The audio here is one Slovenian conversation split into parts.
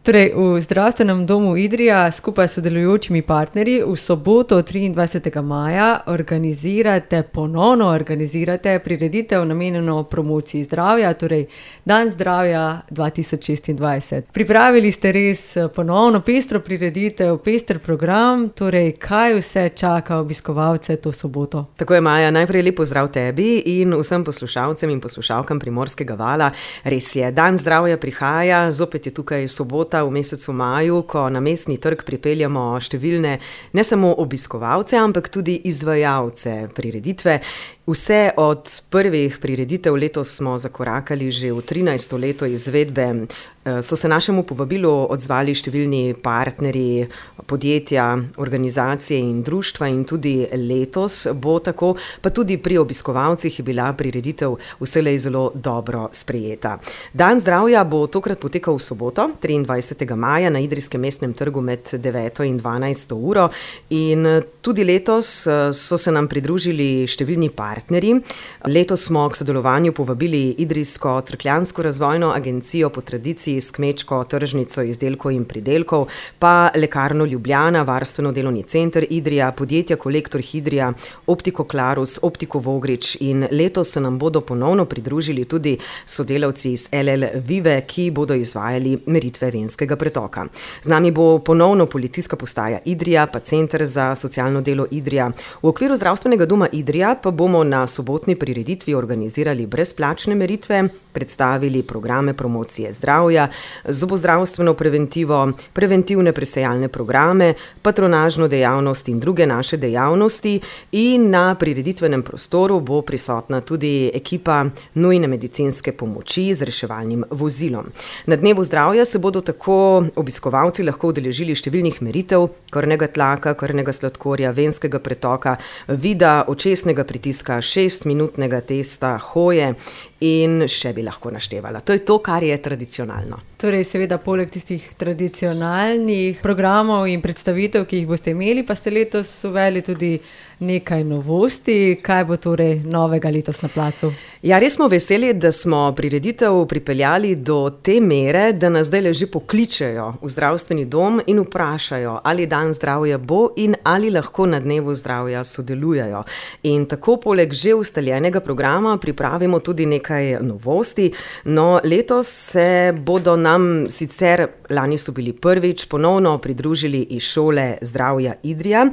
Torej, v Zdravstvenem domu Idrija skupaj s sodelujočimi partnerji v soboto 23. maja ponovno organizirate prireditev namenjeno promociji zdravja, torej Dan zdravja 2026. Pripravili ste res ponovno pestro prireditev, pester program, torej kaj vse čaka obiskovalce to soboto? Tako je, Maja, najprej lep pozdrav tebi in vsem poslušalcem in poslušalkam Primorskega vala. Res je, Dan zdravja prihaja, zopet je tukaj sobota v mesecu maju, ko na mestni trg pripeljamo številne ne samo obiskovalce, ampak tudi izvajalce prireditve. Vse od prvih prireditev letos smo zakorakali že v 13. leto izvedbe. So se našemu povabilu odzvali številni partnerji, podjetja, organizacije in društva in tudi letos bo tako, pa tudi pri obiskovalcih je bila prireditev vselej zelo dobro sprejeta. Dan zdravja bo tokrat potekal v soboto, 23. maja na Idrijskem mestnem trgu med 9. in 12. uro in tudi letos so se nam pridružili številni partnerji. Letos smo k sodelovanju povabili Idrijsko cerkljansko razvojno agencijo po tradiciji s kmečko tržnico izdelkov in pridelkov, pa Lekarno Ljubljana, Varstveno-delovni center Idrija, podjetja Kolektor Hidrija, Optiko Klarus, Optiko Vogrič in letos se nam bodo ponovno pridružili tudi sodelavci iz LL Vive, ki bodo izvajali meritve venskega pretoka. Z nami bo ponovno policijska postaja Idrija, pa Center za socialno delo Idrija. V okviru Zdravstvenega doma Idrija pa bomo na sobotni prireditvi organizirali brezplačne meritve, predstavili programe promocije zdravja, zobozdravstveno preventivo, preventivne presejalne programe, patronažno dejavnost in druge naše dejavnosti in na prireditvenem prostoru bo prisotna tudi ekipa nujne medicinske pomoči z reševalnim vozilom. Na dnevu zdravja se bodo tako obiskovalci lahko udeležili številnih meritev, krvnega tlaka, krvnega sladkorja, venskega pretoka, vida, očesnega pritiska, 6-minutnega testa, hoje in še bi lahko naštevala. To je to, kar je tradicionalno. Torej, seveda, poleg tistih tradicionalnih programov in predstavitev, ki jih boste imeli, pa ste letos uvedli tudi nekaj novosti. Kaj bo torej novega letos na placu? Ja, res smo veseli, da smo prireditev pripeljali do te mere, da nas zdaj že pokličejo v zdravstveni dom in vprašajo, ali Dan zdravja bo in ali lahko na dnevu zdravja sodelujejo. In tako poleg že ustaljenega programa pripravimo tudi nekaj novosti. No, letos se bodo nam sicer, lani so bili prvič, ponovno pridružili iz šole Zdravja Idrija.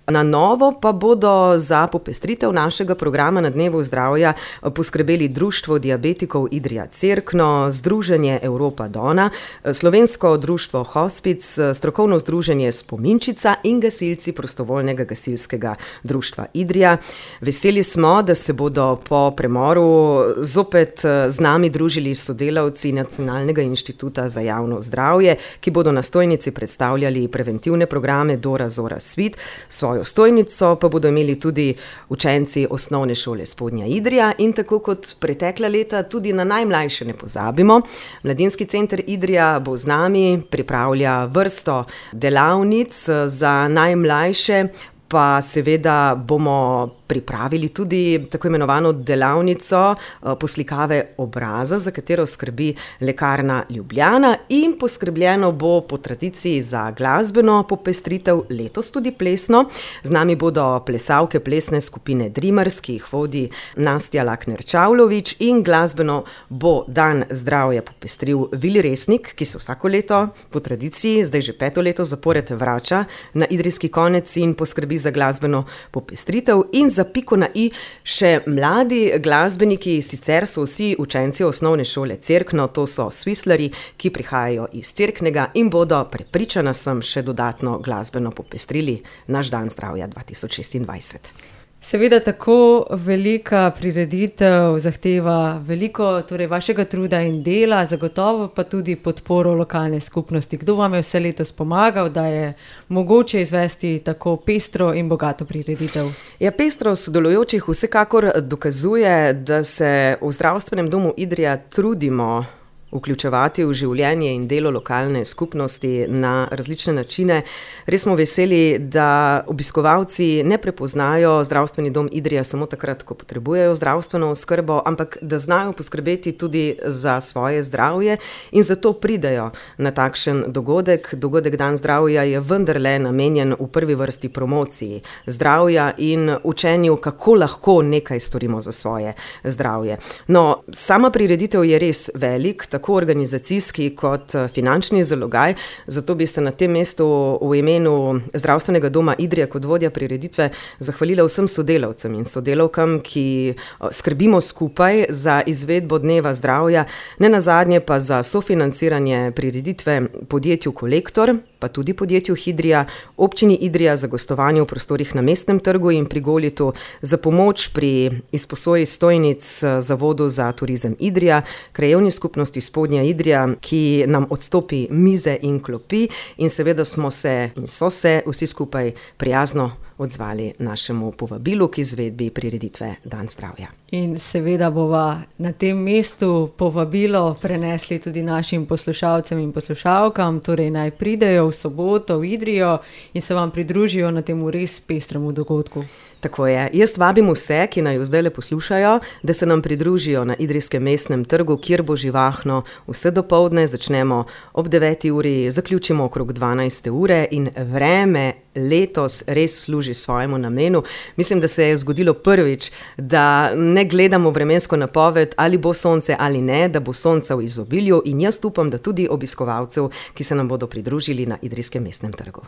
Na novo pa bodo za popestritev našega programa na dnevu zdravja poskrbeli Društvo diabetikov Idrija Cerkno, Združenje Evropa Dona, Slovensko društvo Hospic, Strokovno združenje Spominčica in gasilci Prostovoljnega gasilskega društva Idrija. Veseli smo, da se bodo po premoru zopet z nami družili sodelavci Nacionalnega inštituta za javno zdravje, ki bodo na stojnici predstavljali preventivne programe Dora Zora Svit. Svojo stojnico pa bodo imeli tudi učenci osnovne šole Spodnja Idrija in tako kot pretekla leta tudi na najmlajše ne pozabimo. Mladinski center Idrija bo z nami, pripravlja vrsto delavnic za najmlajše, pa seveda bomo pripravili tudi tako imenovano delavnico poslikave obraza, za katero skrbi Lekarna Ljubljana in poskrbljeno bo po tradiciji za glasbeno popestritev, letos tudi plesno. Z nami bodo plesalke plesne skupine Dreamers, ki jih vodi Nastja Lakner-Čavlović in glasbeno bo Dan zdravja popestril Vili Resnik, ki se vsako leto po tradiciji, zdaj že 5. leto zapored vrača na Idrijski konec in poskrbi za glasbeno popestritev in za piko na i še mladi glasbeniki, sicer so vsi učenci osnovne šole Cerkno, to so svislarji, ki prihajajo iz Cerknega in bodo, prepričana sem, še dodatno glasbeno popestrili naš Dan zdravja 2026. Seveda tako velika prireditev zahteva veliko torej vašega truda in dela, zagotovo pa tudi podporo lokalne skupnosti. Kdo vam je vse letos pomagal, da je mogoče izvesti tako pestro in bogato prireditev? Ja, pestro sodelujočih vsekakor dokazuje, da se v Zdravstvenem domu Idrija trudimo vključevati v življenje in delo lokalne skupnosti na različne načine. Res smo veseli, da obiskovalci ne prepoznajo Zdravstveni dom Idrija samo takrat, ko potrebujejo zdravstveno oskrbo, ampak da znajo poskrbeti tudi za svoje zdravje in zato pridejo na takšen dogodek. Dogodek Dan zdravja je vendarle namenjen v prvi vrsti promociji zdravja in učenju, kako lahko nekaj storimo za svoje zdravje. No, sama prireditev je res velik, tako organizacijski kot finančni zalogaj, zato bi se na tem mestu v imenu Zdravstvenega doma Idrija kot vodja prireditve zahvalila vsem sodelavcem in sodelavkam, ki skrbimo skupaj za izvedbo Dneva zdravja, nenazadnje pa za sofinanciranje prireditve podjetju Kolektor, pa tudi podjetju Hidrija, občini Idrija za gostovanje v prostorih na Mestnem trgu in pri Golitu, za pomoč pri izposoji stojnic Zavodu za turizem Idrija, krajevni skupnosti Spodnja Idrija, ki nam odstopi mize in klopi, in seveda smo se in so se vsi skupaj prijazno odzvali našemu povabilu k izvedbi prireditve Dan zdravja. In seveda bova na tem mestu povabilo prenesli tudi našim poslušalcem in poslušalkam, torej naj pridejo v soboto v Idrijo in se vam pridružijo na temu res pestremu dogodku. Tako je. Jaz vabim vse, ki naj zdajle poslušajo, da se nam pridružijo na Idrijskem mestnem trgu, kjer bo živahno vse dopoldne, začnemo ob 9. uri, zaključimo okrog 12. ure in vreme letos res služi svojemu namenu. Mislim, da se je zgodilo prvič, da ne gledamo vremensko napoved, ali bo sonce ali ne, da bo sonca v izobilju, in jaz upam, da tudi obiskovalcev, ki se nam bodo pridružili na Idrijskem mestnem trgu.